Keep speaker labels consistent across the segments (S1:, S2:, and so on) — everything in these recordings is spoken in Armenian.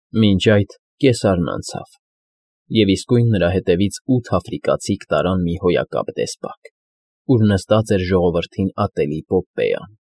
S1: Մինչ այդ կեսարն անցավ, և իսկույն նրա հետևից 8 աֆրիկացիք տարան մի հոյակապ դեսպակ, ուր նստած էր ժողովրդին ատելի Պոպպեան.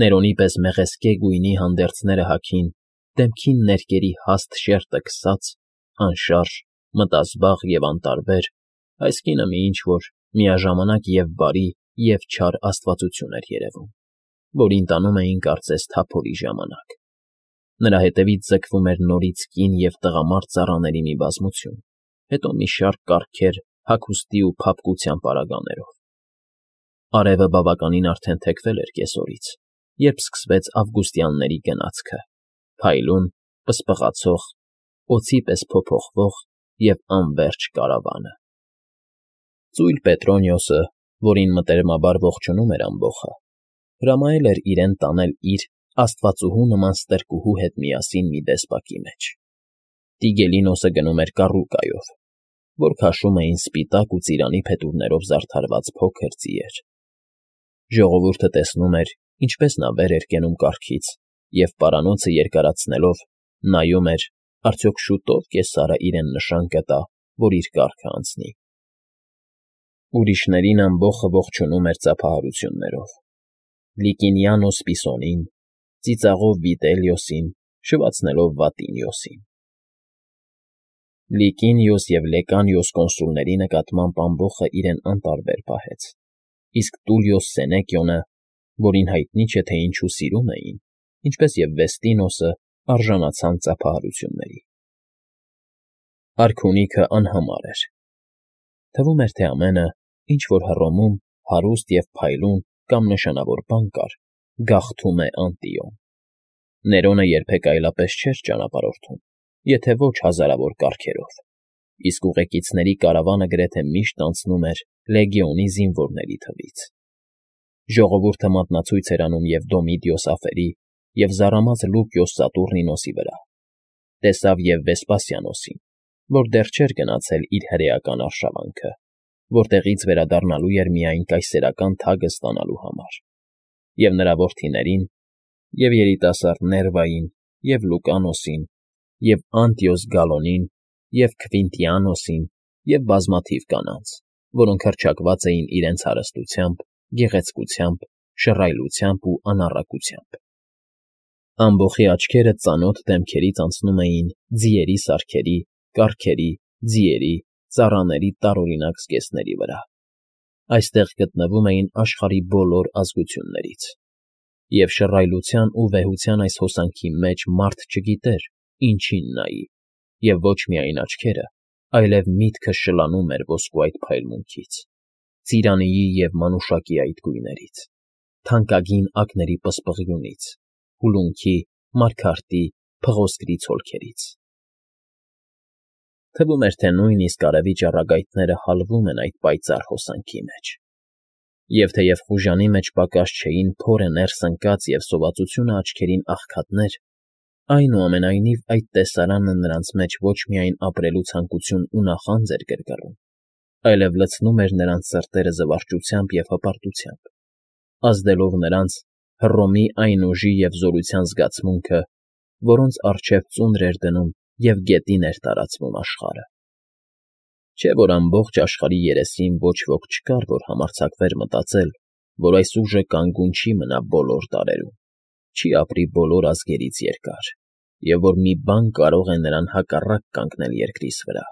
S1: Ներոնի պես մեղեստկե գույնի հանդերձները հագին, դեմքին ներկերի հաստ շերտը քսած, անշարժ, մտազբաղ և անտարբեր, այս կինը մի ինչ֊որ միաժամանակ և բարի, և չար աստվածություն էր երևում, որին տանում էին կարծես թափորի ժամանակ. Նրա հետևից ձգվում էր նորից կին և տղամարդ ծառաների մի բազմություն, հետո մի շարք կառքեր հագուստի ու փափկության պարագաներով. արևը բավականին արդեն թեքվել էր կեսօրից, երբ սկսվեց ավգուստյանների գնացքը, փայլուն, պսպղացող, օձի պես փոփոխվող և անվերջ կարավանը։ Ծույլ Պետրոնիոսը, որին մտերմաբար ողջունում էր ամբոխը, հրամայել էր իրեն տանել իր աստվածուհու նման ստրկուհու հետ միասին մի դեսպակի մեջ։ Տիգելինոսը գնում էր կառուկայով, որ քաշում էին սպիտակ ու ծիրանի փետուրներով զարդարված փոքր ձիեր։ Ժողովուրդը տեսնում էր, ինչպես նա վեր էր կենում կառքից և, պարանոցը երկարացնելով, նայում էր, արդյոք շուտո՞վ կեսարը իրեն նշան կտա, որ իր կառքը անցնի։ Ուրիշներին ամբոխը ողջունում էր ծափահարություններով. Լիկինիանոս Պիսոնին, ծիծաղով Վիտելիոսին, շվացնելով Վատինիոսին։ Լիկինիոս և Լեկանիոս կոնսուլների նկատմամբ ամբոխը իրեն անտարբեր պահեց, իսկ Տուլիոս Սենեկիոնը, որին հայտնի չէ, թե ինչու սիրում էին, ինչպես և Վեստինոսը, արժանացան ծափահարությունների։ Արքունիքը անհամար էր։ Թվում էր, թե ամենը, ինչ որ Հռոմում հարուստ և փայլուն կամ նշանավոր բան կար, գաղթում է Անտիոն։ Ներոնը երբեք այլապես չէր ճանապարհորդում, եթե ոչ հազարավոր կառքերով, իսկ ուղեկիցների կարավանը գրեթե միշտ անցնում էր լեգիոնի զինվորների թվից։ Ժողովուրդը մատնացույց էր անում և Դոմիդիոս ափերի, և զարամած Լուկիոս Սատուրնինոսի վրա, տեսավ և Վեսպասիանոսին, որ դեռ չէր գնացել իր հրեական արշավանքը, որտեղից վերադառնալու էր միայն կայսերական թագը ստանալու համար, և նրա որդիներին, և երիտասարդ Ներվային, և Լուկանոսին, և Անտիոս Գալոնին, և Քվինտիանոսին, և բազմաթիվ կանանց, որոնք հռչակված էին իրենց հարստությամբ, գեղեցկությամբ, շռայլությամբ ու անառակությամբ։ Ամբոխի աչքերը ծանոթ դեմքերից անցնում էին ձիերի սարքերի, կառքերի, ձիերի, ծառաների տարօրինակ զգեստների վրա։ Այստեղ գտնվում էին աշխարհի բոլոր ազգություններից, և շռայլության ու վեհության այս հոսանքի մեջ մարդ չգիտեր ինչին նայի, և ոչ միայն աչքերը, այլև միտքը շլանում էր ոսկու այդ փայլմունքից, ծիրանիի և մանուշակի այդ գույներից, թանկագին ակների պսպղյունից, հուլունքի, մարգարտի, փղոսկրի ցոլքերից։ Թվում էր, թե նույնիսկ արևի ճառագայթները հալվում են այդ պայծառ հոսանքի մեջ։ Եվ թեև խուժանի մեջ պակաս չէին փորը ներս ընկած և սովածությունը աչքերին աղքատներ, այնուամենայնիվ այդ տեսարանը նրանց մեջ ոչ միայն ապրելու ցանկություն ու նախանձ էր գրգռում, այլև լցնում էր նրանց սրտերը զվարճությամբ և հպարտությամբ, ազդելով նրանց Հռոմի այն ուժի և զորության զգացմունքը, որոնց առջև ծունր էր դնում և գետին էր տարածվում աշխարհը։ Չէ՞ որ ամբողջ աշխարհի երեսին ոչ ոք չկար, որ համարձակվեր մտածել, որ այս ուժը կանգուն չի մնա բոլոր դարերում, չի ապրի բոլոր ազգերից երկար, և որ մի բան կարող է նրան հակառակ կանգնել երկրիս վրա։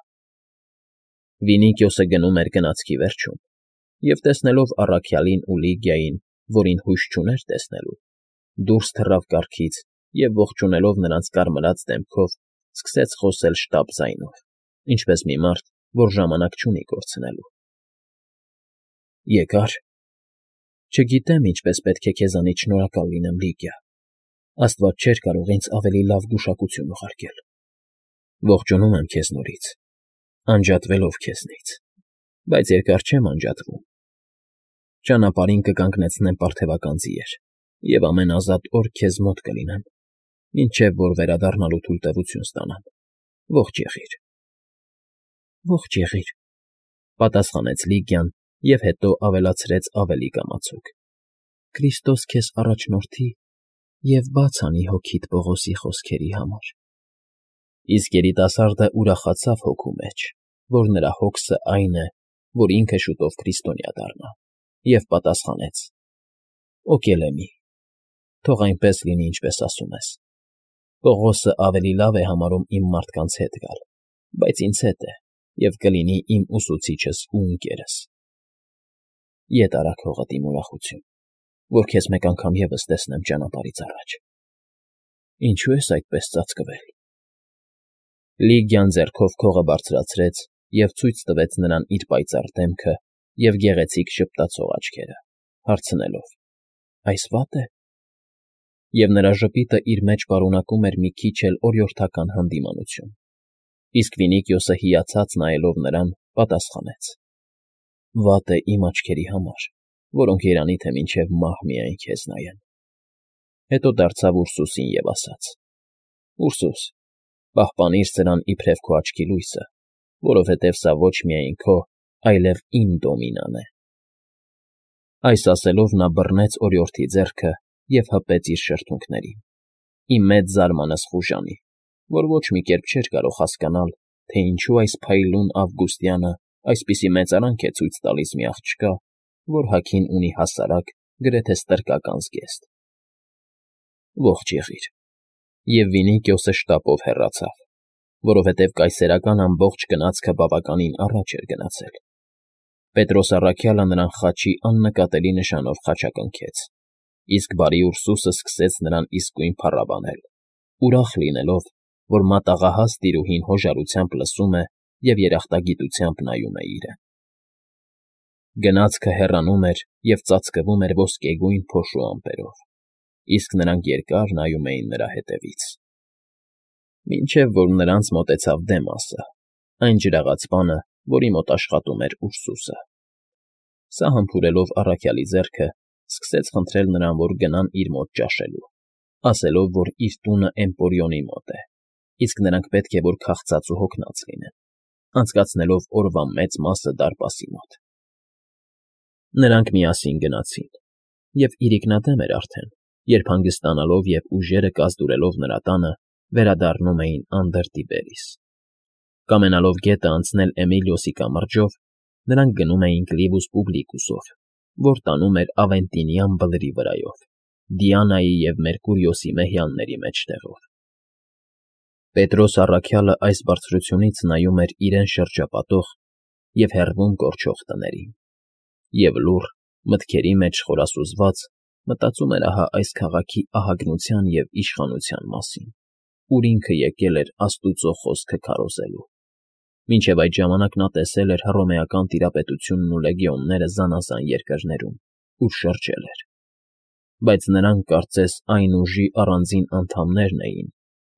S1: Վինիկիոսը գնում էր գնացքի վերջում, և տեսնելով առաքյալին ու Լիգիային, որին հույս չուներ տեսնելու, դուրս թռավ կառքից և, ողջունելով նրանց կարմրած դեմքով, սկսեց խոսել շտապ ձայնով, ինչպես մի մարդ, որ ժամանակ չունի կորցնելու։ Եկա՞ր։ Չգիտեմ ինչպես պետք է քեզանից շնորհակալ լինեմ, Լիգիա, աստված չէր կարող ինձ ավելի լավ գուշակություն ուղարկել։ Ողջունում եմ քեզ նորից, անջատվելով քեզնից, բայց երկար չեմ անջատվում։ Ճանապարհին կկանգնեցնեմ պարթևական ձիեր և ամեն ազատ օր քեզ մոտ կլինեմ, մինչև որ վերադառնալու թույլտվություն ստանամ։ Ողջ եղիր։ Ողջ եղիր, պատասխանեց Լիգիան և հետո ավելացրեց ավելի կամացուկ. Քրիստոս քեզ առաջնորդի և բաց անի հոգիդ Պողոսի խոսքերի համար։ Իսկ երիտասարդը ուրախացավ հոգու մեջ, որ նրա հոգսը այն է, որ ինքը շուտով քրիստոնյա դառնա, և պատասխանեց. «Օգելեմի, թող այնպես լինի, ինչպես ասում ես։ Պողոսը ավելի լավ է համարում իմ մարդկանց հետ գալ, բայց ինձ հետ է և կլինի իմ ուսուցիչս ու ընկերս։ Ետ արեք հողդ իմ ուրախություն, որ քեզ մեկ անգամ ևս տեսնեմ ճանապարհից առաջ։ Ինչո՞ւ ես այդպես ծածկվել»։ Լիգիան ձեռքով քողը բարձրացրեց և ցույց տվեց նրան իր պայծառ դեմքը և գեղեցիկ ժպտացող աչքերը, հարցնելով. «Այս վա՞տ է»։ Եվ նրա ժպիտը իր մեջ պարունակում էր մի քիչ էլ օրիորդական հանդիմանություն, իսկ Վինիքիոսը հիացած նայելով նրան, պատասխանեց. «Վատ է իմ աչքերի համար, որոնք երանի թե մինչև մահ միայն քեզ նայեն»։ Հետո դարձավ Ուրսուսին և ասաց. «Ուրսուս, պահպանիր սրան իբրև քո աչքի լույսը, որովհետև սա ոչ միայն քո, այլև իմ դոմինան է»։ Այս ասելով նա բռնեց օրիորդի ձեռքը և հպեց իր շրթունքներին, ի մեծ զարմանս խուժանի, որ ոչ մի կերպ չէր կարող հասկանալ, թե ինչու այս փայլուն ավգուստյանը այսպիսի մեծարանք է ցույց տալիս մի աղջկա, որ հագին ունի հասարակ, գրեթե ստրկական զգեստ։ «Ողջ եղիր»։ Եվ Վինիքիոսը շտապով հեռացավ, որովհետև կայսերական ամբողջ գնացքը բավականին առաջ էր գնացել։ Պետրոս առաքյալը նրան խաչի աննկատելի նշանով խաչակնքեց, իսկ բարի Ուրսուսը սկսեց նրան իսկույն փառաբանել, ուրախ լինելով, որ մատաղահաս տիրուհին հոժարությամբ լսում է և երախտագիտությամբ նայում է իրեն։ Գնացքը հեռանում էր և ծածկվում էր ոսկեգույն փոշու ամպերով, իսկ նրանք երկար նայում էին նրա հետևից։ Մինչև որ նրանց մոտեցավ Դեմասը, այն ջրաղաց բանը, որի մոտ աշխատում էր Ուրսուսը։ Սա համբուրելով առաքյալի ձեռքը, սկսեց խնդրել նրան, որ գնան իր մոտ ճաշելու, ասելով, որ իր տունը Էմպորիոնի մոտ է, իսկ նրանք պետք է որ քաղցած ու հոգնած լինեն, անցկացնելով օրվա մեծ մասը դարպասի մոտ։ Նրանք միասին գնացին, և իրիկնադեմ էր արդեն, երբ հանգստանալով և ուժերը կազդուրելով նրա տանը, վերադառնում էին Անդր Տիբերիս։ Կամենալով գետը անցնել Էմիլիոսի կամրջով, նրանք գնում էին Կլիվուս Պուբլիկուսով, որ տանում էր Ավենտինյան բլրի վրայով, Դիանայի և Մերկուրիոսի մեհյանների մեջտեղով։ Պետրոս առաքյալը այս բարձրությունից նայում էր իրեն շրջապատող և հեռվում կորչող տներին, և լուռ, մտքերի մեջ խորասուզված, մտածում էր ահա այս քաղաքի ահագնության և իշխանության մասին, ուր ինքը եկել էր Աստուծո խոսքը քարոզելու։ Մինչև այդ ժամանակ նա տեսել էր Հռոմեական տիրապետությունն ու լեգիոնները զանազան երկրներում, ուր շրջել էր։ Բայց նրանք կարծես այն ուժի առանձին անդամներն էին,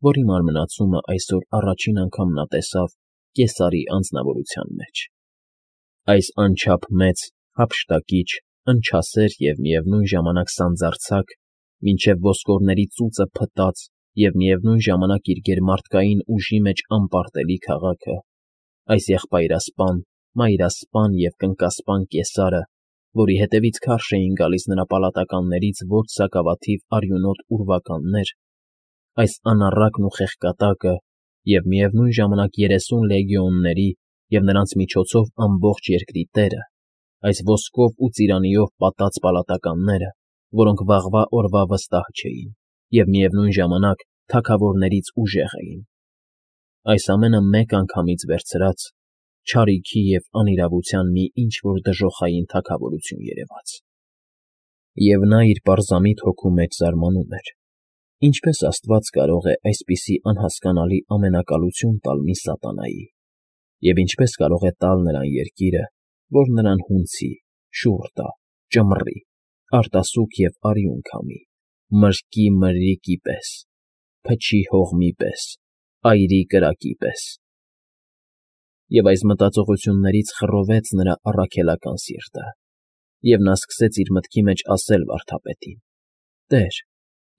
S1: որի մարմնացումը այսօր առաջին անգամ նա տեսավ Կեսարի անձնավորության մեջ։ Այս անչափ մեծ, հափշտակիչ, ընչասեր և միևնույն ժամանակ սանձարձակ, մինչև ոսկորների ծուծը փտած և միևնույն ժամանակ իր գերմարդկային ուժի մեջ անպարտելի քաղաքը, այս եղբայրասպան, մայրասպան և կնկասպան Կեսարը, որի հետևից քարշ էին գալիս նրա պալատականներից ոչ սակավաթիվ արյունոտ ուրվականներ, այս անառակն ու խեղկատակը և միևնույն ժամանակ 30 լեգիոնների և նրանց միջոցով ամբողջ երկրի տերը, այս ոսկով ու ծիրանիով պատած պալատականները, որոնք վաղվա օրվա վստահ չէին և միևնույն ժամանակ թագավորներից ուժեղ էին, այս ամենը մեկ անգամից վերցրած, չարիքի և անիրավության մի ինչ֊որ դժոխային թագավորություն երևաց։ Եվ նա իր պարզամիտ հոգու մեջ զարմանում էր. ինչպես Աստված կարող է այսպիսի անհասկանալի ամենակալություն տալ մի սատանայի, և ինչպես կարող է տալ նրան երկիրը, որ նրան հունցի, շուռ տա, ճմռի, արտասուք և արյուն քամի, մրկի մրրիկի պես, փչի հողմի պես, այրի կրակի պես։ Եվ այս մտածողություններից խռովեց նրա առաքելական սիրտը, և նա սկսեց իր մտքի մեջ ասել վարդապետին. «Տեր,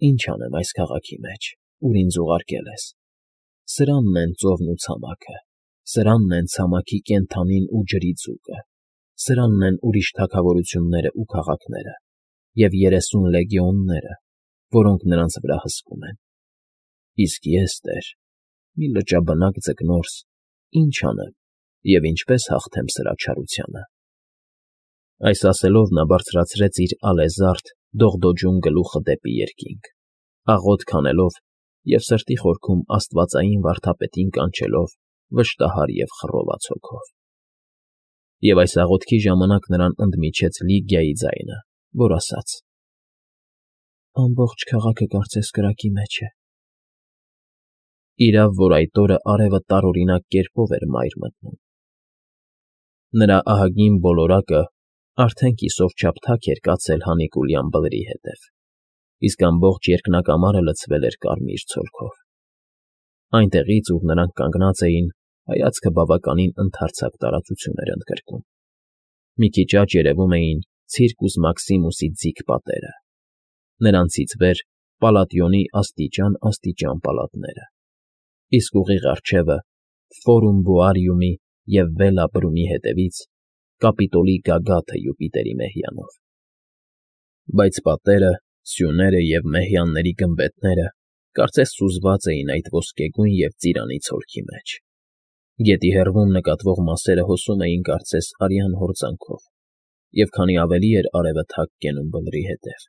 S1: ի՞նչ անեմ այս քաղաքի մեջ, ուր ինձ ուղարկել ես։ Սրանն են ծովն ու ցամաքը, սրանն են ցամաքի կենդանին ու ջրի ձուկը, սրանն են ուրիշ թագավորությունները ու քաղաքները, և 30 լեգիոնները, որոնք նրանց վրա հսկում են։ Իսկ ես, Տեր, մի լճաբնակ ձկնորս, ինչ անեմ և ինչպես հաղթեմ սրա չարությանը… Այս ասելով նա բարձրացրեց իր ալեզարդ, դողդոջուն գլուխը դեպի երկինք, աղոթք անելով և սրտի խորքում աստվածային վարդապետին կանչելով վշտահար և խռոված հոգով… Եվ այս աղոթքի ժամանակ նրան ընդմիջեց Լիգիայի ձայնը, որ ասաց. «Ամբողջ քաղաքը կարծես կրակի մեջ է»… Իրավ, որ այդ օրը արևը տարօրինակ կերպով էր մայր մտնում. նրա ահագին ոլորակը արդեն կիսով չափ թակ էր կացել հանիկուլյան բլրի հետև, իսկ ամբողջ երկնակամարը լցվել էր կարմիր ցոլքով… Այնտեղից, ուր նրանք կանգնած էին, հայացքը բավականին ընդարձակ տարածություն էր ընդգրկում. մի քիչ աջ երևում էին Ցիրկուս Մաքսիմուսի ձիգ պատերը, նրանցից վեր Պալատիոնի աստիճան պալատները, իսկ ուղիղ առջևը, Ֆորում Բոարիումի և Վելա բրումի հետևից, Կապիտոլի գագաթը Յուպիտերի մեհյանով… Բայց պատերը, սյուները և մեհյանների գմբեթները կարծես սուզված էին այդ ոսկեգույն և ծիրանի ցոլքի մեջ… Գետի հեռվում նկատվող մասերը հոսում էին կարծես արյան հորձանքով, և քանի ավելի էր արևը թակ կենում բլրի հետև,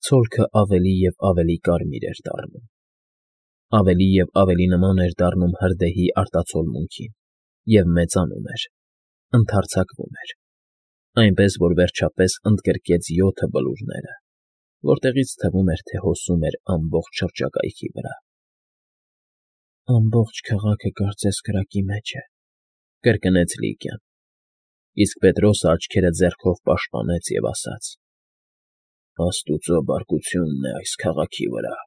S1: ցոլքը ավելի և ավելի կարմիր էր դառնում, ավելի և ավելի նման էր դառնում հրդեհի արտացոլմունքին և մեծանում էր, ընդարձակվում էր, այնպես որ վերջապես ընդգրկեց 7 բլուրները, որտեղից թվում էր, թե հոսում էր ամբողջ շրջակայքի վրա… «Ամբողջ քաղաքը կարծես կրակի մեջ է», ֊ կրկնեց Լիգիան, իսկ Պետրոսը աչքերը ձեռքով պաշտպանեց և ասաց. «Աստուծո բարկությունն է այս քաղաքի վրա»։